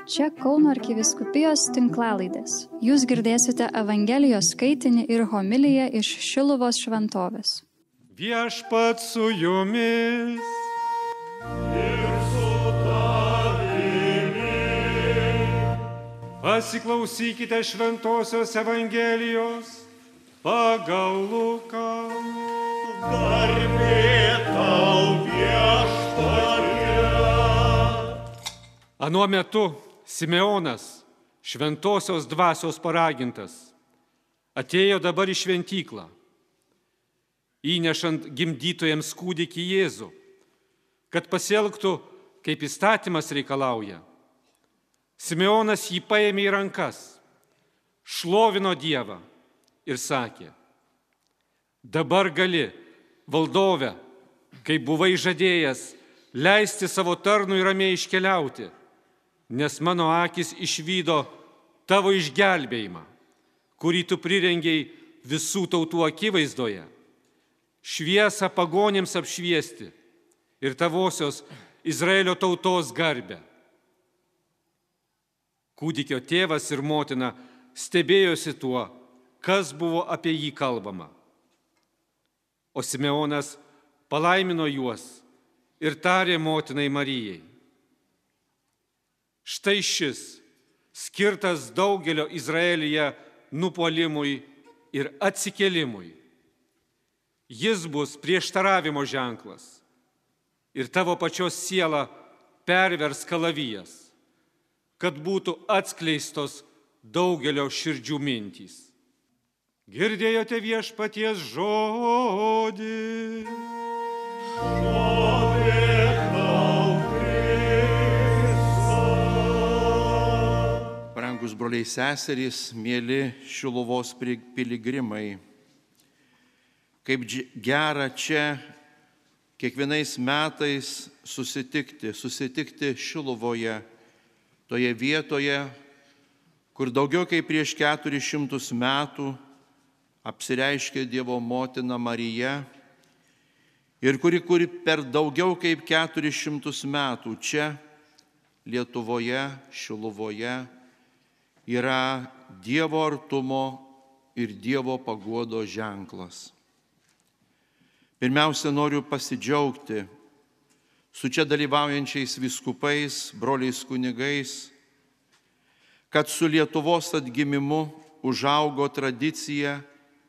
Čia Kauno arkivyskupijos tinklalaidės. Jūs girdėsite Evangelijos skaitinį ir homiliją iš Šiluvos šventovės. Viešpats su jumis. Ir su tavimi. Pasiklausykite šventosios Evangelijos pagal Luką. Garbė tau, Viešpatie. Anuo metu Simeonas, šventosios dvasios paragintas, atėjo dabar į šventyklą, įnešant gimdytojams kūdikį Jėzų, kad pasielgtų, kaip įstatymas reikalauja. Simeonas jį paėmė į rankas, šlovino Dievą ir sakė: dabar gali, valdove, kaip buvai žadėjęs, leisti savo tarnui ramiai iškeliauti, nes mano akis išvydo tavo išgelbėjimą, kurį tu prirengei visų tautų akivaizdoje, šviesą pagonėms apšviesti ir tavosios Izraelio tautos garbę. Kūdikio tėvas ir motina stebėjosi tuo, kas buvo apie jį kalbama. O Simeonas palaimino juos ir tarė motinai Marijai: štai šis, skirtas daugelio Izraelyje nupuolimui ir atsikėlimui. Jis bus prieštaravimo ženklas ir tavo pačios sielą pervers kalavijas, kad būtų atskleistos daugelio širdžių mintys. Girdėjote Viešpaties žodį. Brangus broliai seserys, mėly Šiluvos piligrimai, kaip gera čia kiekvienais metais susitikti Šiluvoje, toje vietoje, kur daugiau kaip prieš 400 metų apsireiškė Dievo motina Marija ir kuri per daugiau kaip 400 metų čia Lietuvoje, Šiluvoje yra Dievo artumo ir Dievo paguodos ženklas. Pirmiausia, noriu pasidžiaugti su čia dalyvaujančiais vyskupais, broliais kunigais, kad su Lietuvos atgimimu užaugo tradicija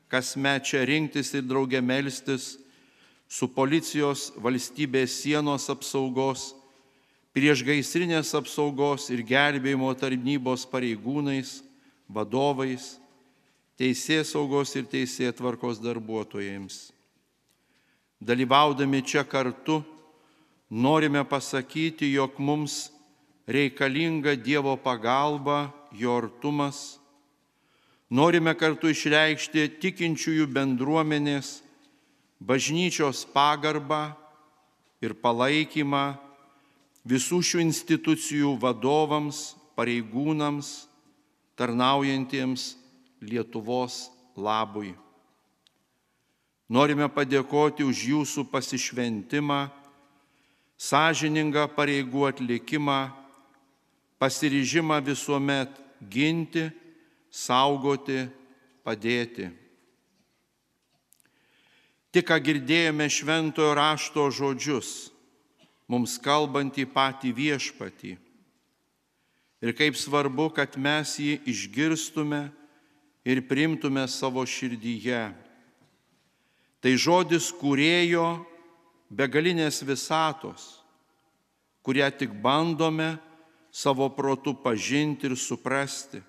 kasmet čia rinktis ir drauge melstis su policijos, valstybės sienos apsaugos, priešgaisrinės apsaugos ir gelbėjimo tarnybos pareigūnais, vadovais, teisėsaugos ir teisėtvarkos darbuotojams. Dalyvaudami čia kartu, norime pasakyti, jog mums reikalinga Dievo pagalba, jo artumas. Norime kartu išreikšti tikinčiųjų bendruomenės, bažnyčios pagarbą ir palaikymą visų šių institucijų vadovams, pareigūnams, tarnaujantiems Lietuvos labui. Norime padėkoti už jūsų pasišventimą, sąžiningą pareigų atlikimą, pasiryžimą visuomet ginti, saugoti, padėti. Tik ką girdėjome šventojo rašto žodžius, mums kalbantį patį Viešpatį. Ir kaip svarbu, kad mes jį išgirstume ir priimtume savo širdyje. Tai žodis kūrėjo begalinės visatos, kurią tik bandome savo protu pažinti ir suprasti.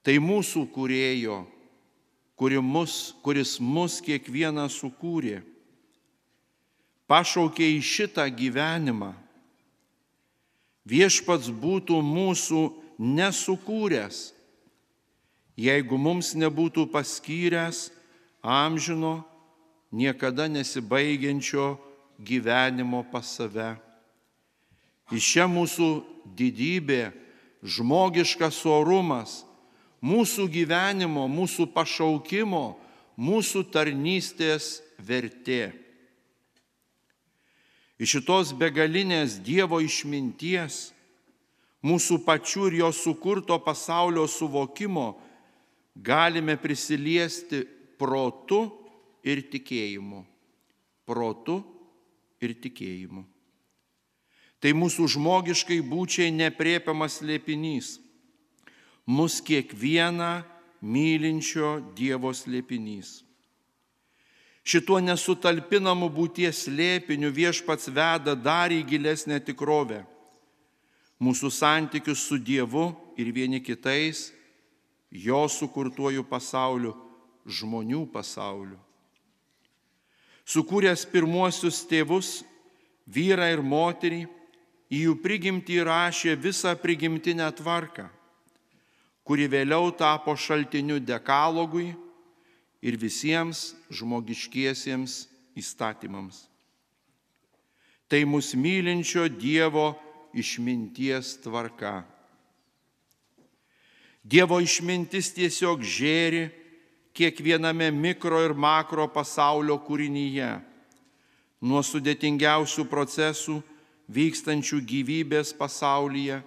Tai mūsų kūrėjo, kuris mus kiekvieną sukūrė, pašaukė į šitą gyvenimą. Viešpats būtų mūsų nesukūręs, jeigu mums nebūtų paskyręs amžino, niekada nesibaigiančio gyvenimo pas save. Iš čia mūsų didybė, žmogiškas orumas, mūsų gyvenimo, mūsų pašaukimo, mūsų tarnystės vertė. Iš šitos begalinės Dievo išminties mūsų pačių ir jo sukurto pasaulio suvokimo galime prisiliesti protu ir tikėjimu. Protu ir tikėjimu. Tai mūsų žmogiškai būčiai nepriepiamas slėpinys. Mus kiekvieną mylinčio Dievo slėpinys. Šituo nesutalpinamu būties slėpiniu Viešpats veda dar į gilesnę tikrovę. Mūsų santykius su Dievu ir vieni kitais, jo sukurtuoju pasauliu, žmonių pasauliu. Sukūręs pirmuosius tėvus, vyrą ir moterį, į jų prigimtį įrašė visą prigimtinę tvarką, kuri vėliau tapo šaltiniu dekalogui ir visiems žmogiškiesiems įstatymams. Tai mus mylinčio Dievo išminties tvarka. Dievo išmintis tiesiog žėri kiekviename mikro ir makro pasaulio kūrinyje, nuo sudėtingiausių procesų vykstančių gyvybės pasaulyje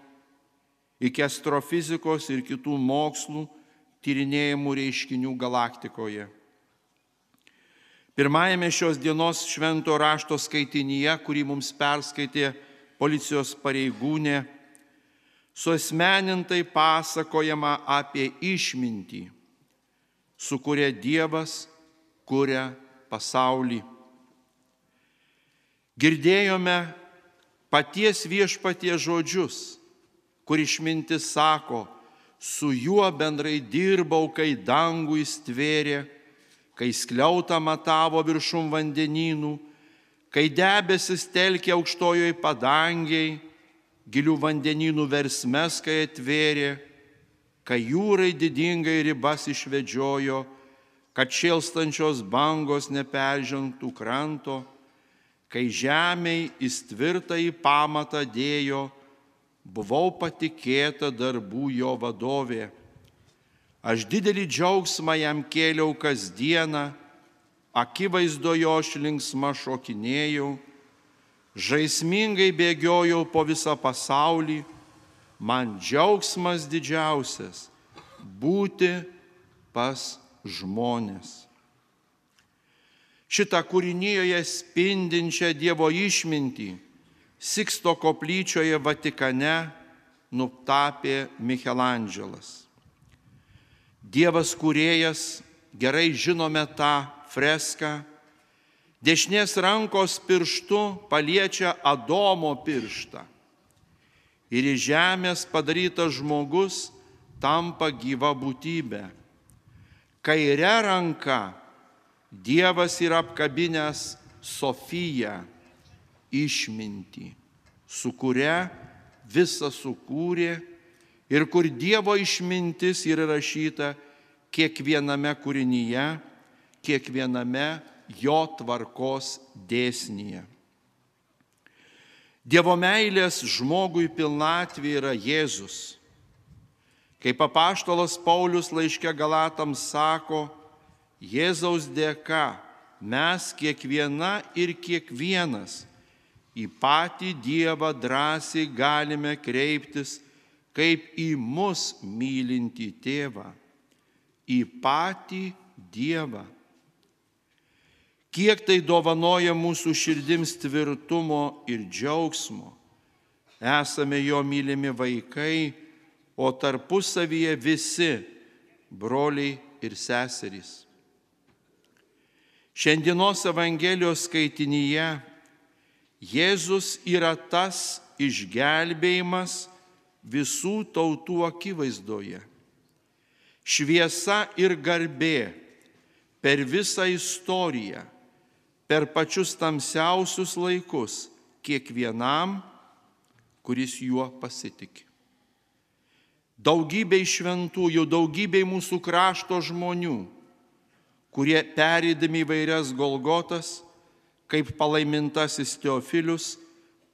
iki astrofizikos ir kitų mokslų tyrinėjimų reiškinių galaktikoje. Pirmajame šios dienos švento rašto skaitinyje, kurį mums perskaitė policijos pareigūnė, suasmenintai pasakojama apie išmintį, su kuria Dievas kuria pasaulį. Girdėjome paties Viešpaties žodžius, kur išmintis sako, su juo bendrai dirbau, kai dangų jis tvėrė, kai skliautą matavo viršum vandenynų, kai debesis telkė aukštojoj padangiai, gilių vandenynų versmes, kai atvėrė, kai jūrai didingai ribas išvedžiojo, kad šėlstančios bangos neperžengtų kranto, kai žemei jis tvirtąjį pamatą dėjo, buvau patikėta darbų jo vadovė. Aš didelį džiaugsmą jam kėliau kasdieną, akivaizdojo aš linksma šokinėjau, žaismingai bėgiojau po visą pasaulį, man džiaugsmas didžiausias būti pas žmones. Šitą kūrinijoje spindinčią Dievo išmintį Siksto koplyčioje Vatikane nutapė Michelandželas. Dievas kūrėjas, gerai žinome tą freską, dešinės rankos pirštu paliečia Adomo pirštą ir iš žemės padarytas žmogus tampa gyva būtybė. Kaire ranka Dievas yra apkabinęs Sofiją, išmintį, su kuria visą sukūrė ir kur Dievo išmintis yra rašyta kiekviename kūrinyje, kiekviename jo tvarkos dėsnyje. Dievo meilės žmogui pilnatvė yra Jėzus. Kaip apaštalas Paulius laiške Galatams sako, Jėzaus dėka mes kiekviena ir kiekvienas į patį Dievą drąsiai galime kreiptis kaip į mus mylintį tėvą, į patį Dievą. Kiek tai dovanoja mūsų širdims tvirtumo ir džiaugsmo. Esame jo mylimi vaikai, o tarpusavyje visi broliai ir seserys. Šiandienos Evangelijos skaitinyje Jėzus yra tas išgelbėjimas visų tautų akivaizdoje. Šviesa ir garbė per visą istoriją, per pačius tamsiausius laikus kiekvienam, kuris juo pasitiki. Daugybei šventųjų, daugybei mūsų krašto žmonių, kurie perėdami įvairias Golgotas, kaip palaimintasis Teofilius,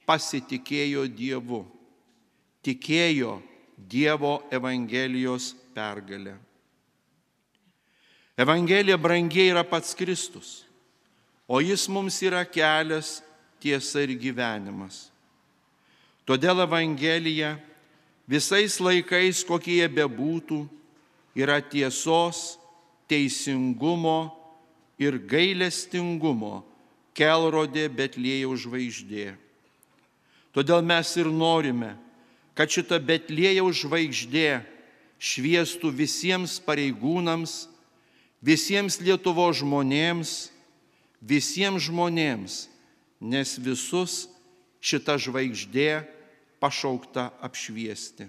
pasitikėjo Dievu, tikėjo Dievo Evangelijos pergalę. Evangelija brangiai yra pats Kristus, o jis mums yra kelias, tiesa ir gyvenimas. Todėl Evangelija visais laikais, kokie jie bebūtų, yra tiesos, teisingumo ir gailestingumo kelrodė Betliejaus žvaigždė. Todėl mes ir norime, kad šita Betliejaus žvaigždė šviestų visiems pareigūnams, visiems Lietuvos žmonėms, visiems žmonėms, nes visus šita žvaigždė pašaukta apšviesti.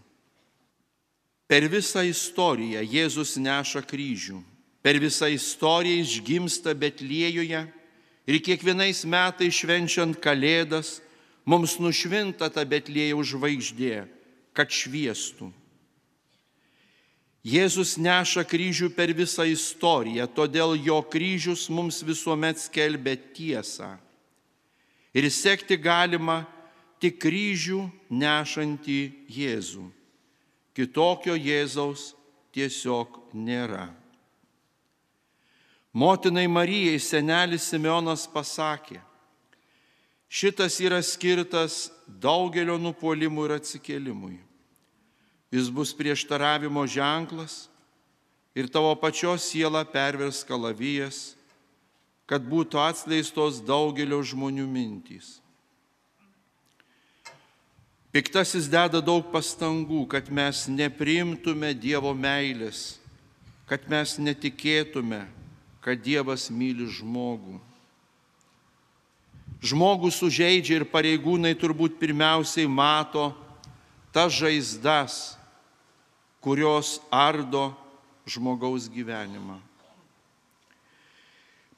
Per visą istoriją Jėzus neša kryžių, per visą istoriją išgimsta Betliejuje ir kiekvienais metais švenčiant Kalėdas mums nušvinta ta Betliejaus žvaigždė, kad šviestų. Jėzus neša kryžių per visą istoriją, todėl jo kryžius mums visuomet skelbia tiesą. Ir sekti galima tik kryžių nešantį Jėzų. Kitokio Jėzaus tiesiog nėra. Motinai Marijai senelis Simeonas pasakė, šitas yra skirtas daugelio nupuolimų ir atsikėlimui. Jis bus prieštaravimo ženklas ir tavo pačios siela pervers kalavijas, kad būtų atskleistos daugelio žmonių mintys. Piktasis deda daug pastangų, kad mes nepriimtume Dievo meilės, kad mes netikėtume, kad Dievas myli žmogų. Žmogų sužeidžia ir pareigūnai turbūt pirmiausiai mato tas žaizdas, kurios ardo žmogaus gyvenimą.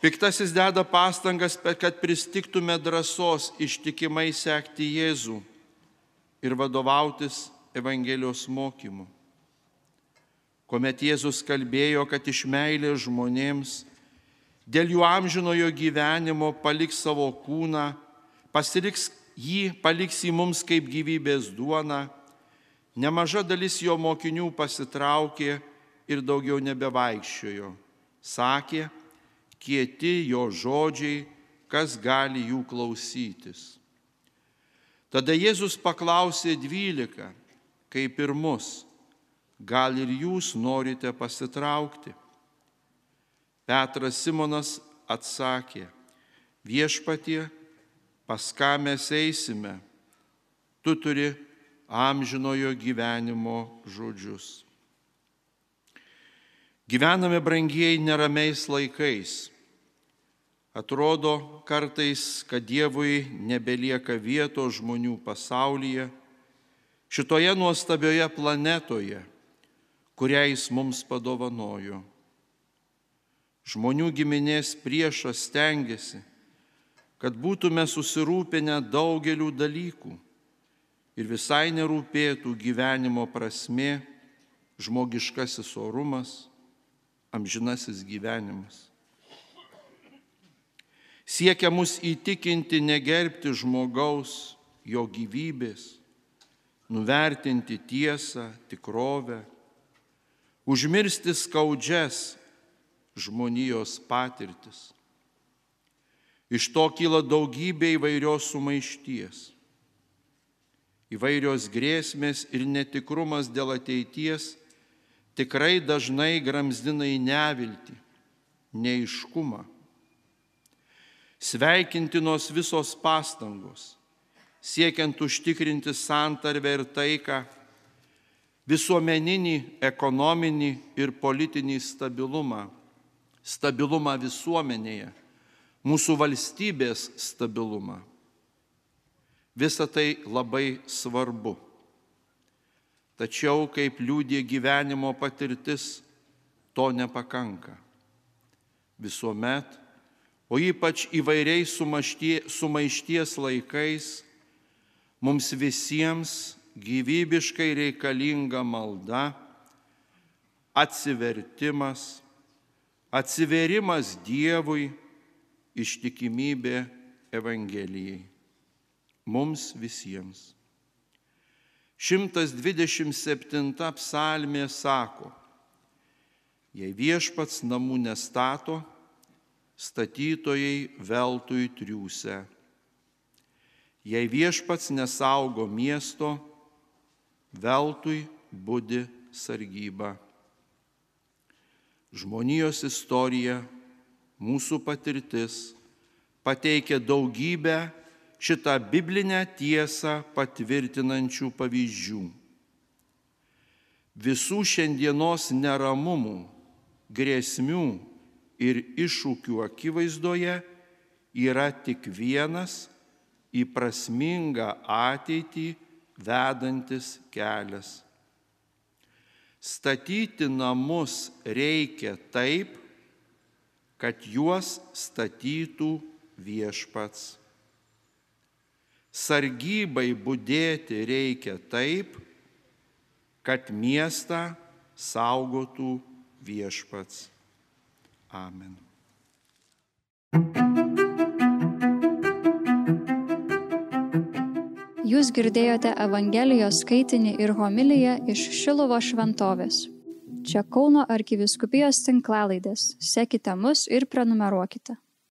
Piktasis deda pastangas, kad pristiktume drąsos ištikimai sekti Jėzų ir vadovautis Evangelijos mokymu. Kuomet Jėzus kalbėjo, kad iš meilės žmonėms dėl jų amžinojo gyvenimo paliks savo kūną, paliks jį mums kaip gyvybės duona, nemaža dalis jo mokinių pasitraukė ir daugiau nebevaikščiojo. Sakė, kieti jo žodžiai, kas gali jų klausytis. Tada Jėzus paklausė 12, kaip ir mus, gal ir jūs norite pasitraukti? Petras Simonas atsakė, viešpatie, pas ką mes eisime, tu turi amžinojo gyvenimo žodžius. Gyvename, brangieji, neramiais laikais. Atrodo kartais, kad Dievui nebelieka vietos žmonių pasaulyje, šitoje nuostabioje planetoje, kurią jis mums padovanojo. Žmonių giminės priešas stengiasi, kad būtume susirūpinę daugelių dalykų ir visai nerūpėtų gyvenimo prasmė, žmogiškasis orumas, amžinasis gyvenimas. Siekia mus įtikinti negerbti žmogaus, jo gyvybės, nuvertinti tiesą, tikrovę, užmiršti skaudžias žmonijos patirtis. Iš to kyla daugybė įvairios sumaišties. Įvairios grėsmės ir netikrumas dėl ateities tikrai dažnai gramzdina į neviltį, neaiškumą. Sveikintinos visos pastangos, siekiant užtikrinti santarvę ir taiką, visuomeninį, ekonominį ir politinį stabilumą visuomenėje, mūsų valstybės stabilumą. Visa tai labai svarbu. Tačiau, kaip liudija gyvenimo patirtis, to nepakanka. Visuomet, o ypač įvairiais sumaišties laikais, mums visiems gyvybiškai reikalinga malda, atsivertimas, atsiverimas Dievui, ištikimybė Evangelijai. Mums visiems. 127 psalmė sako, jei viešpats namų nestato, statytojai veltui triūsia. Jei viešpats nesaugo miesto, veltui budi sargyba. Žmonijos istorija, mūsų patirtis pateikia daugybę šitą biblinę tiesą patvirtinančių pavyzdžių. Visų šiandienos neramumų, grėsmių ir iššūkių akivaizdoje yra tik vienas į prasmingą ateitį vedantis kelias. Statyti namus reikia taip, kad juos statytų Viešpats. Sargybai budėti reikia taip, kad miestą saugotų Viešpats. Amen. Jūs girdėjote Evangelijos skaitinį ir homiliją iš Šiluvos šventovės. Čia Kauno arkivyskupijos tinklalaidės. Sekite mus ir prenumeruokite.